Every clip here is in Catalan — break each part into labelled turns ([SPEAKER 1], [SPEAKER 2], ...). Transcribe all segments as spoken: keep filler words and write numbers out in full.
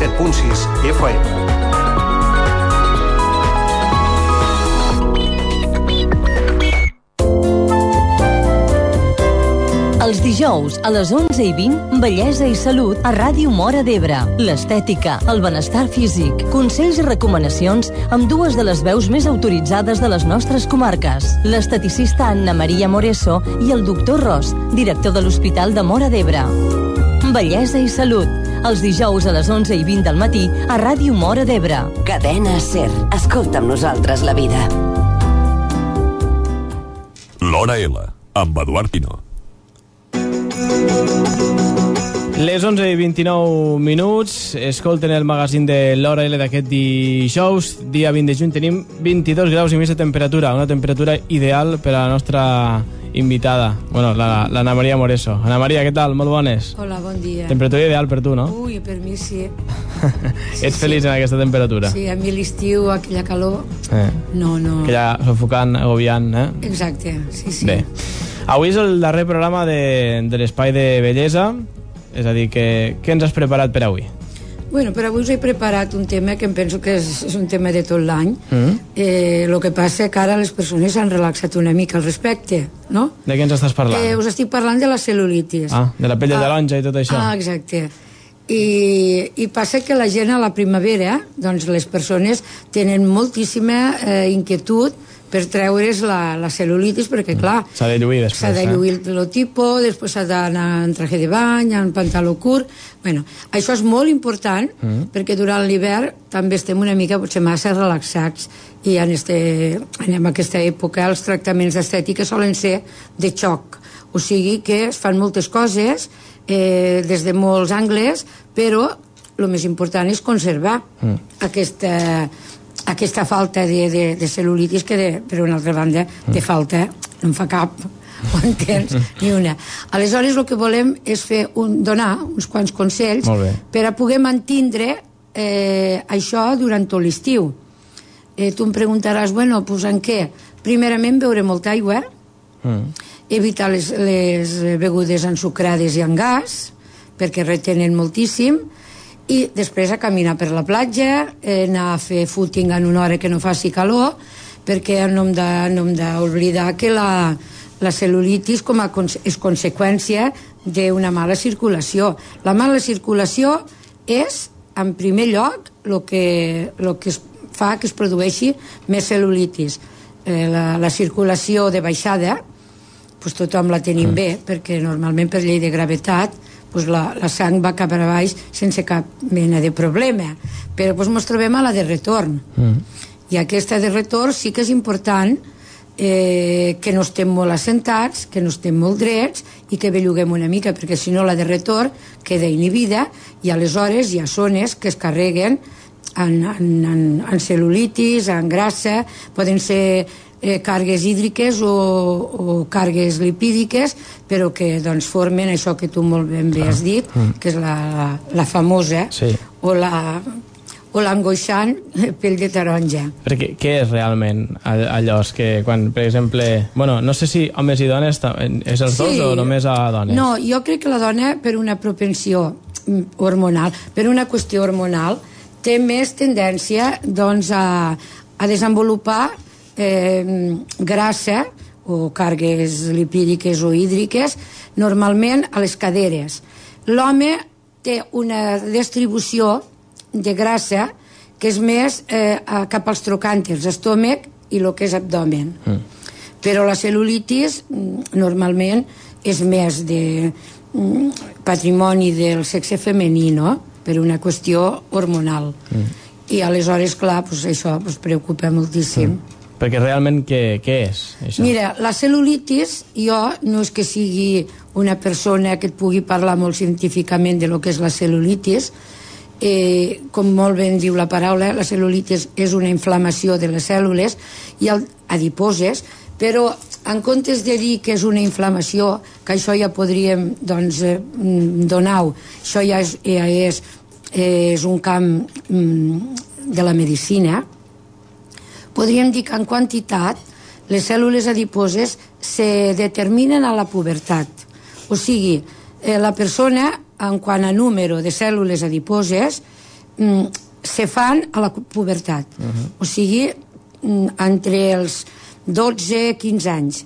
[SPEAKER 1] set punt sis F M.
[SPEAKER 2] Els dijous, a les onze i vint, Bellesa i Salut a Ràdio Móra d'Ebre. L'estètica, el benestar físic, consells i recomanacions amb dues de les veus més autoritzades de les nostres comarques. L'esteticista Anna Maria Moreso i el doctor Ros, director de l'Hospital de Móra d'Ebre. Bellesa i Salut, els dijous a les onze i vint del matí a Ràdio Móra d'Ebre.
[SPEAKER 3] Cadena SER. Escolta amb nosaltres la vida.
[SPEAKER 4] L'Hora L, amb Eduard Pino.
[SPEAKER 5] Les onze i vint-i-nou minuts, escolten el magazín de l'Hora L d'aquest dijous, dia vint de juny. Tenim vint-i-dos graus i mig de temperatura, una temperatura ideal per a la nostra invitada, bueno, la, la Anna Maria Moreso. Anna Maria, què tal? Molt bones.
[SPEAKER 6] Hola, bon dia.
[SPEAKER 5] Temperatura ideal per tu, no?
[SPEAKER 6] Ui, per mi sí.
[SPEAKER 5] sí Ets feliç sí. en aquesta temperatura?
[SPEAKER 6] Sí, a mi l'estiu, aquella calor, eh. no, no...
[SPEAKER 5] Aquella sofocant, agobiant, eh?
[SPEAKER 6] Exacte, sí, sí.
[SPEAKER 5] Bé. Avui és el darrer programa de, de l'Espai de Bellesa, és a dir, que, què ens has preparat per avui?
[SPEAKER 6] Bueno, per avui us he preparat un tema que em penso que és, és un tema de tot l'any. Mm. Eh, el que passa que ara les persones s'han relaxat una mica al respecte, no?
[SPEAKER 5] De què ens estàs parlant?
[SPEAKER 6] Eh, us estic parlant de la cel·lulitis.
[SPEAKER 5] Ah, de la pell de
[SPEAKER 6] ah,
[SPEAKER 5] taronja i tot això.
[SPEAKER 6] Ah, exacte. I, I passa que la gent a la primavera, doncs les persones tenen moltíssima eh, inquietud per treure's la, la cel·lulitis, perquè, clar...
[SPEAKER 5] S'ha de lluir després,
[SPEAKER 6] S'ha de lluir eh? el tipo, després s'ha d'anar en traje de bany, en pantaló curt... Bueno, això és molt important, mm. perquè durant l'hivern també estem una mica, potser massa relaxats, i en, este, en aquesta època els tractaments d'estètica solen ser de xoc. O sigui que es fan moltes coses, eh, des de molts angles, però el més important és conservar mm. aquesta... aquesta falta de, de, de cel·lulitis que, de, per una altra banda, de falta no en fa cap, ho entens? Ni una. Aleshores, el que volem és fer un, donar uns quants consells per a poder mantindre eh, això durant tot l'estiu. Eh, tu em preguntaràs, bueno, pues en què? Primerament, beure molta aigua, mm. evitar les, les begudes ensucrades i amb gas, perquè retenen moltíssim, i després a caminar per la platja, eh, anar a fer footing en una hora que no faci calor, perquè no hem de, no hem d'oblidar que la, la cel·lulitis com a conse és conseqüència d'una mala circulació. La mala circulació és, en primer lloc, el que, lo que es fa que es produeixi més cel·lulitis. Eh, la, la circulació de baixada, pues tothom la tenim bé, perquè normalment per llei de gravetat pues la, la sang va cap a baix sense cap mena de problema, però pues ens trobem a la de retorn mm. i aquesta de retorn sí que és important eh, que no estem molt assentats, que no estem molt drets i que belluguem una mica, perquè si no la de retorn queda inhibida i aleshores hi ha zones que es carreguen en, en, en, en cel·lulitis, en grassa, poden ser Eh, càrregues hídriques o, o càrregues lipídiques, però que doncs, formen això que tu molt ben bé has dit, mm. que és la, la, la famosa sí. o la o l'angoixant pell de taronja.
[SPEAKER 5] Perquè què és realment allò? És que quan, per exemple... Bueno, no sé si homes i dones és els sí. dos o només a dones?
[SPEAKER 6] No, jo crec que la dona, per una propensió hormonal, per una qüestió hormonal, té més tendència doncs, a, a desenvolupar Eh, grassa o càrregues lipídiques o hídriques normalment a les caderes. L'home té una distribució de grassa que és més eh, cap als trocànters, estómac i el que és abdomen. Mm. Però la cel·lulitis normalment és més de mm, patrimoni del sexe femení, no? Per una qüestió hormonal. Mm. I aleshores, clar, pues, això pues, preocupa moltíssim. Mm.
[SPEAKER 5] Perquè realment què, què és, això?
[SPEAKER 6] Mira, la cel·lulitis, jo no és que sigui una persona que et pugui parlar molt científicament de lo que és la cel·lulitis, eh, com molt ben diu la paraula, la cel·lulitis és una inflamació de les cèl·lules i el, adiposes, però en comptes de dir que és una inflamació, que això ja podríem doncs, eh, donar-ho, això ja és, ja és, és un camp mm, de la medicina, podríem dir que en quantitat les cèl·lules adiposes se determinen a la pubertat. O sigui, eh, la persona, en quant a número de cèl·lules adiposes, mm, se fan a la pubertat. Uh-huh. O sigui, mm, entre els dotze i quinze anys.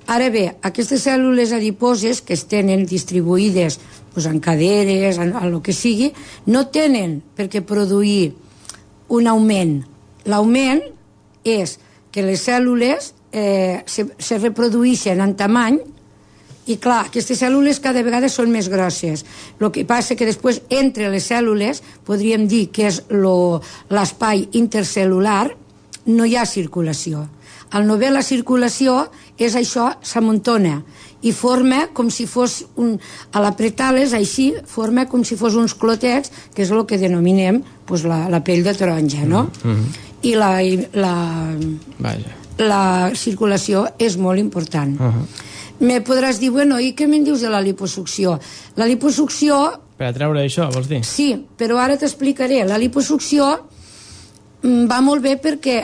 [SPEAKER 6] Ara bé, aquestes cèl·lules adiposes que es tenen distribuïdes pues, en caderes, en, en el que sigui, no tenen per què produir un augment. L'augment és que les cèl·lules eh, se, se reprodueixen en tamany i clar, aquestes cèl·lules cada vegada són més grosses. El que passa que després entre les cèl·lules podríem dir que és l'espai intercel·lular, no hi ha circulació. Al no haver la circulació és això, s'amuntona i forma com si fos un, a l'apretar-les així forma com si fos uns clotets, que és el que denominem pues, la, la pell de taronja, no? Mm-hmm. I la, la, Vaja. la circulació és molt important. Uh-huh. Me podràs dir, bueno, i què me'n dius de la liposucció? La liposucció...
[SPEAKER 5] Per a treure això, vols dir?
[SPEAKER 6] Sí, però ara t'explicaré. La liposucció va molt bé perquè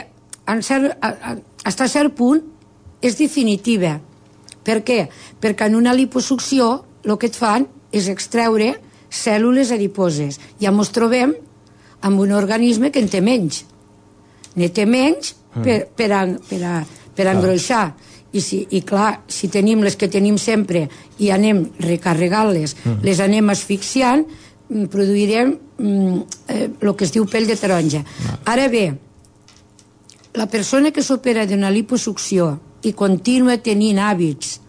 [SPEAKER 6] en cert, a, a, fins a cert punt és definitiva. Per què? Perquè en una liposucció el que et fan és extreure cèl·lules adiposes. Ja ens trobem amb un organisme que en té menys. Ne té menys per, per, a, per, a, per a engroixar. I, si, i clar, si tenim les que tenim sempre i anem recarregant-les, mm. les anem asfixiant, produirem mm, eh, el que es diu pell de taronja. Mm. Ara bé, la persona que s'opera d'una liposucció i continua tenint hàbits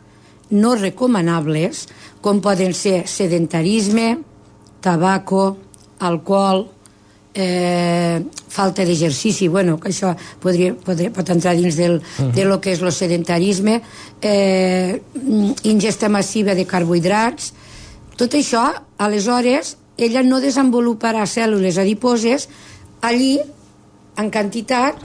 [SPEAKER 6] no recomanables, com poden ser sedentarisme, tabaco, alcohol, eh, falta d'exercici, bueno, que això podria, podria, pot entrar dins del, uh-huh. de lo que és el sedentarisme, eh, ingesta massiva de carbohidrats, tot això, aleshores, ella no desenvoluparà cèl·lules adiposes allí, en quantitat,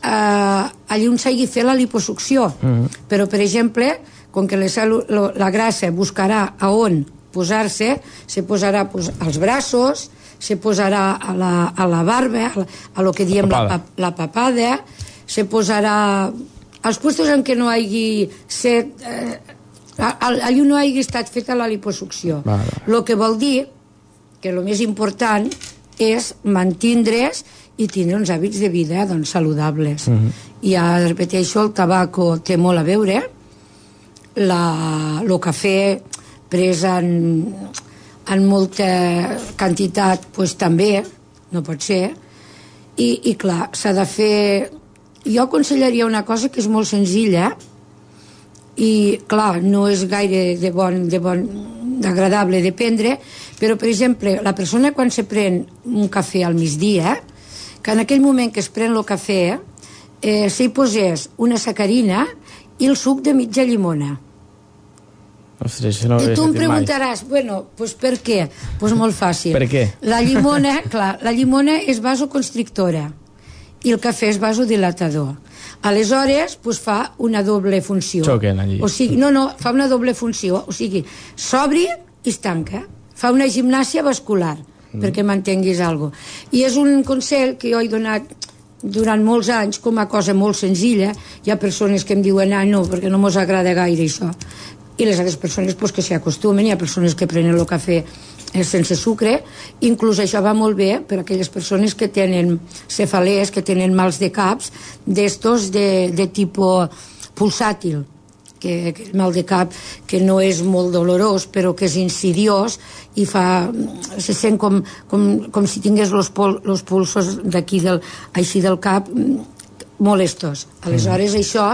[SPEAKER 6] eh, allí on s'hagi fet la liposucció. Uh-huh. Però, per exemple, com que les cèl·lules, la grassa buscarà a on posar-se, se posarà pues, als braços, se posarà a la, a la barba, a, la, a lo que diem la, la papada, se posarà als puestos en què no hagi set, eh, allà no hagi estat feta la liposucció. El que vol dir que el més important és mantindre's i tindre uns hàbits de vida doncs, saludables. Uh-huh. I ja repeteixo, el tabaco té molt a veure, la, el cafè pres en en molta quantitat pues, també, no pot ser, i, i clar, s'ha de fer... Jo aconsellaria una cosa que és molt senzilla i, clar, no és gaire de bon, de bon, agradable de prendre, però, per exemple, la persona quan se pren un cafè al migdia, que en aquell moment que es pren el cafè, eh, s'hi posés una sacarina i el suc de mitja llimona.
[SPEAKER 5] Ostres, no
[SPEAKER 6] I tu em preguntaràs, mai. bueno, pues per què? Pues molt fàcil.
[SPEAKER 5] Per què?
[SPEAKER 6] La llimona, clar, la llimona és vasoconstrictora i el cafè és vasodilatador. Aleshores, pues fa una doble funció.
[SPEAKER 5] Xoquen allí.
[SPEAKER 6] O sigui, no, no, fa una doble funció. O sigui, s'obri i es tanca. Fa una gimnàsia vascular, mm. perquè m'entenguis alguna cosa. I és un consell que jo he donat durant molts anys com a cosa molt senzilla. Hi ha persones que em diuen, ah, no, perquè no mos agrada gaire això. I les altres persones pues, que s'hi acostumen, hi ha persones que prenen el cafè sense sucre, inclús això va molt bé per a aquelles persones que tenen cefalees, que tenen mals de caps, d'estos de, de tipus pulsàtil, que, que el mal de cap que no és molt dolorós, però que és insidiós i fa, se sent com, com, com si tingués els pol, pulsos d'aquí, del, així del cap, molestos. Aleshores, mm. això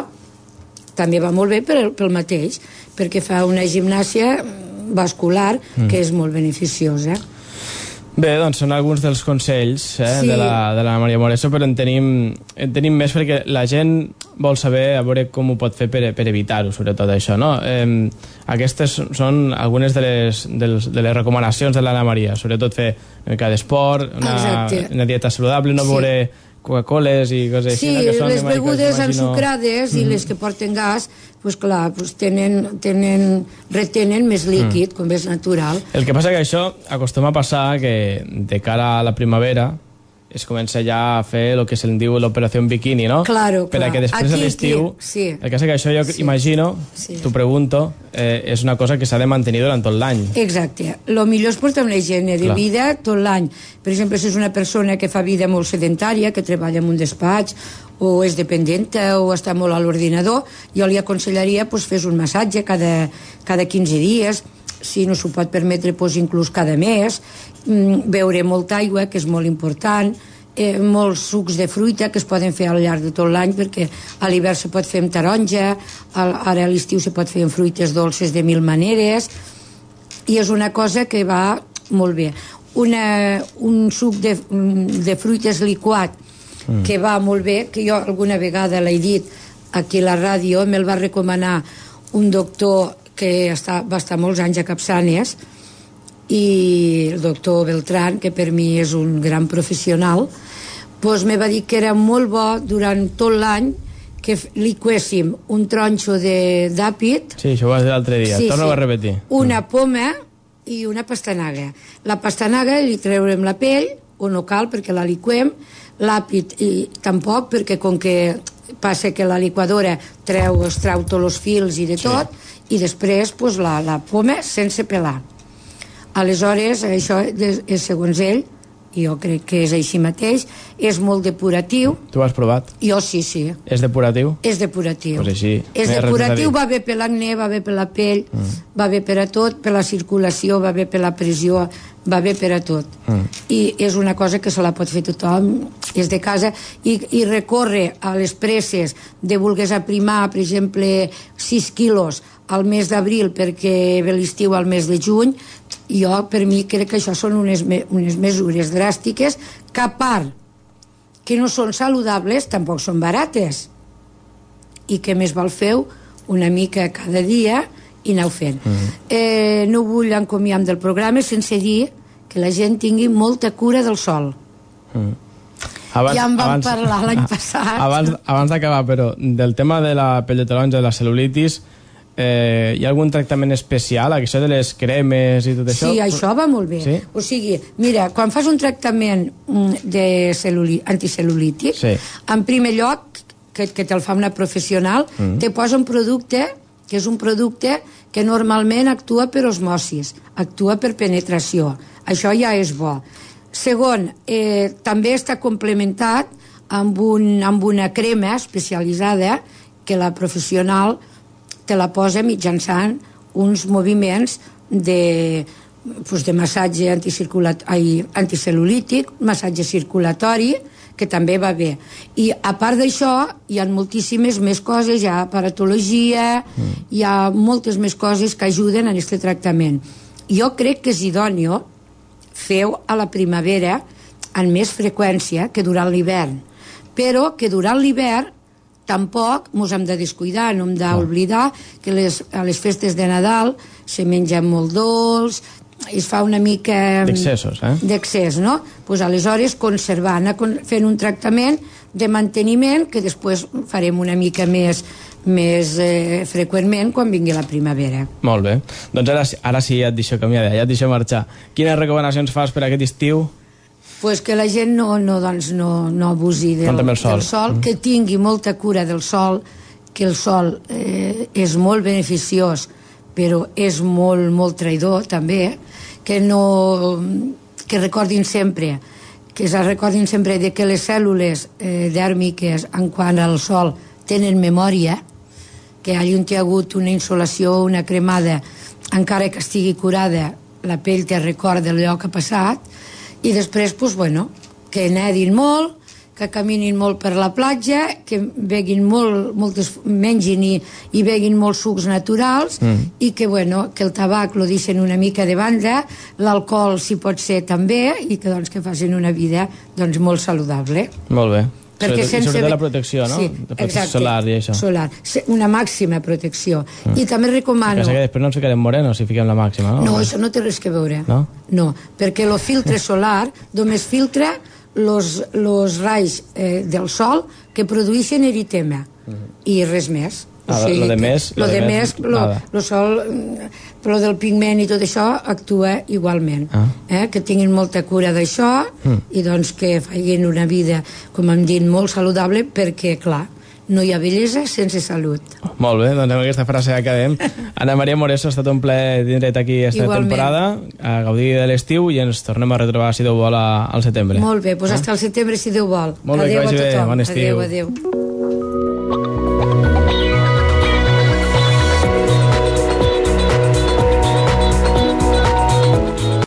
[SPEAKER 6] també va molt bé pel, pel mateix, perquè fa una gimnàsia vascular mm. que és molt beneficiosa.
[SPEAKER 5] Bé, doncs són alguns dels consells eh, sí. de, la, de la Maria Moreso, però en tenim, en tenim més perquè la gent vol saber a veure com ho pot fer per, per evitar-ho, sobretot això, no? Eh, aquestes són algunes de les, de, les, de les recomanacions de l'Anna Maria, sobretot fer una mica d'esport, una, una dieta saludable, no sí. veure Coca-Coles i coses
[SPEAKER 6] sí,
[SPEAKER 5] així. Sí,
[SPEAKER 6] no? les begudes ensucrades mm. i les que porten gas, pues clar, pues tenen, tenen, retenen més líquid, mm. com és natural.
[SPEAKER 5] El que passa que això acostuma a passar que de cara a la primavera es comença ja a fer el que se'n diu l'operació en biquini, no?
[SPEAKER 6] Claro,
[SPEAKER 5] per
[SPEAKER 6] clar.
[SPEAKER 5] a que després
[SPEAKER 6] Aquí,
[SPEAKER 5] a l'estiu...
[SPEAKER 6] sí.
[SPEAKER 5] El que és que això jo
[SPEAKER 6] Sí.
[SPEAKER 5] imagino,
[SPEAKER 6] Sí.
[SPEAKER 5] t'ho pregunto, eh, és una cosa que s'ha de mantenir durant tot l'any.
[SPEAKER 6] Exacte. Lo millor és portar una higiene de
[SPEAKER 5] Clar.
[SPEAKER 6] vida tot l'any. Per exemple, si és una persona que fa vida molt sedentària, que treballa en un despatx, o és dependenta, o està molt a l'ordinador, jo li aconsellaria pues, fes un massatge cada, cada quinze dies, si no s'ho pot permetre, pues, inclús cada mes, mm, beure molta aigua, que és molt important, eh, molts sucs de fruita que es poden fer al llarg de tot l'any, perquè a l'hivern se pot fer amb taronja, al, ara a l'estiu se pot fer amb fruites dolces de mil maneres, i és una cosa que va molt bé. Una, un suc de, de fruites liquat mm. que va molt bé, que jo alguna vegada l'he dit aquí a la ràdio, me'l va recomanar un doctor que està, va estar molts anys a Capçanes, i el doctor Beltrán, que per mi és un gran professional, doncs me va dir que era molt bo durant tot l'any que liquéssim un tronxo d'àpid.
[SPEAKER 5] Sí, això ho vas dir l'altre dia,
[SPEAKER 6] Sí,
[SPEAKER 5] torna-ho
[SPEAKER 6] sí.
[SPEAKER 5] a repetir.
[SPEAKER 6] Una poma i una pastanaga. La pastanaga li treurem la pell, o no cal perquè la liquem, l'àpid i tampoc, perquè com que passa que la liquadora treu, es treu tots els fils i de tot, sí. I després pues, la, la poma sense pelar. Aleshores, això és segons ell, i jo crec que és així mateix, és molt depuratiu.
[SPEAKER 5] Tu ho has provat?
[SPEAKER 6] Jo sí, sí.
[SPEAKER 5] És depuratiu?
[SPEAKER 6] És depuratiu.
[SPEAKER 5] Pues així,
[SPEAKER 6] és
[SPEAKER 5] no hi ha res
[SPEAKER 6] depuratiu,
[SPEAKER 5] més a dir.
[SPEAKER 6] va bé per l'acné, va bé per la pell, mm. va bé per a tot, per la circulació, va bé per la pressió, va bé per a tot. Mm. I és una cosa que se la pot fer tothom, és de casa, i, i recórrer a les presses de volgués aprimar, per exemple, sis quilos al mes d'abril perquè ve l'estiu al mes de juny, jo per mi crec que això són unes, unes mesures dràstiques que a part que no són saludables tampoc són barates, i que més val feu una mica cada dia i aneu fent. Mm-hmm. eh, no vull encomiar del programa sense dir que la gent tingui molta cura del sol.
[SPEAKER 5] Mm. Abans,
[SPEAKER 6] ja en vam
[SPEAKER 5] abans,
[SPEAKER 6] parlar l'any passat.
[SPEAKER 5] Abans, abans d'acabar, però, del tema de la pell de taronja, de la cel·lulitis, eh, hi ha algun tractament especial? Això de les cremes i tot això?
[SPEAKER 6] Sí, això va molt bé.
[SPEAKER 5] Sí?
[SPEAKER 6] O sigui, mira, quan fas un tractament de cel·luli- anticel·lulític,
[SPEAKER 5] Sí.
[SPEAKER 6] en primer lloc, que, que te'l fa una professional, mm. te posa un producte que és un producte que normalment actua per osmosis, actua per penetració. Això ja és bo. Segon, eh, també està complementat amb, un, amb una crema especialitzada que la professional te la posa mitjançant uns moviments de, pues, de massatge anticel·lulític, massatge circulatori, que també va bé. I a part d'això, hi ha moltíssimes més coses, hi ha aparatologia, mm. hi ha moltes més coses que ajuden en aquest tractament. Jo crec que és idòneo feu a la primavera amb més freqüència que durant l'hivern, però que durant l'hivern tampoc ens hem de descuidar, no hem d'oblidar que les, a les festes de Nadal se menja molt dolç, es fa una mica...
[SPEAKER 5] D'excessos, eh?
[SPEAKER 6] D'excés, no? Pues aleshores conservar, anar fent un tractament de manteniment que després farem una mica més, més eh, freqüentment quan vingui la primavera.
[SPEAKER 5] Molt bé. Doncs ara, ara sí ja et deixo canviar, ja et deixo marxar. Quines recomanacions fas per aquest estiu?
[SPEAKER 6] Pues que la gent no, no, doncs no, no abusi del,
[SPEAKER 5] el sol.
[SPEAKER 6] del sol, mm. que tingui molta cura del sol, que el sol eh, és molt beneficiós, però és molt, molt traïdor també, que no, que recordin sempre que es recordin sempre de que les cèl·lules eh, dèrmiques en quant al sol tenen memòria, que allà on hi ha hagut una insolació, una cremada, encara que estigui curada, la pell te recorda allò que ha passat, i després, pues, bueno, que nedin molt, que caminin molt per la platja, que beguin molt, moltes, mengin i, i beguin molts sucs naturals, mm. i que, bueno, que el tabac lo deixen una mica de banda, l'alcohol si pot ser també, i que, doncs, que facin una vida, doncs, molt saludable.
[SPEAKER 5] Molt bé.
[SPEAKER 6] Perquè
[SPEAKER 5] sobretot,
[SPEAKER 6] sense...
[SPEAKER 5] sobretot la protecció, no?
[SPEAKER 6] Sí,
[SPEAKER 5] la protecció
[SPEAKER 6] exacte,
[SPEAKER 5] solar i això.
[SPEAKER 6] Solar, una màxima protecció. Mm. I també recomano...
[SPEAKER 5] Que després no ens ficarem morenos si fiquem la màxima, no?
[SPEAKER 6] No, això no té res que veure.
[SPEAKER 5] No?
[SPEAKER 6] No, perquè el filtre solar només filtra los, los raigs eh, del sol que produeixen eritema, mm. i res més.
[SPEAKER 5] Ah, o sigui, lo de més,
[SPEAKER 6] lo de més, lo, lo sol, lo del pigment i tot això actua igualment. Ah. Eh? Que tinguin molta cura d'això mm. i doncs que facin una vida, com hem dit, molt saludable, perquè, clar, no hi ha bellesa sense salut.
[SPEAKER 5] Molt bé, doncs amb aquesta frase acabem. Anna Maria Moreso, ha estat un plaer tindre't aquí aquesta Igualment. temporada, a gaudir de l'estiu, i ens tornem a retrobar, si Déu vol, al setembre.
[SPEAKER 6] Molt bé, doncs eh? hasta el setembre, si Déu vol.
[SPEAKER 5] Molt bé,
[SPEAKER 6] adéu
[SPEAKER 5] que vagi
[SPEAKER 6] a tothom.
[SPEAKER 5] bé, bon estiu.
[SPEAKER 6] Adéu, adéu.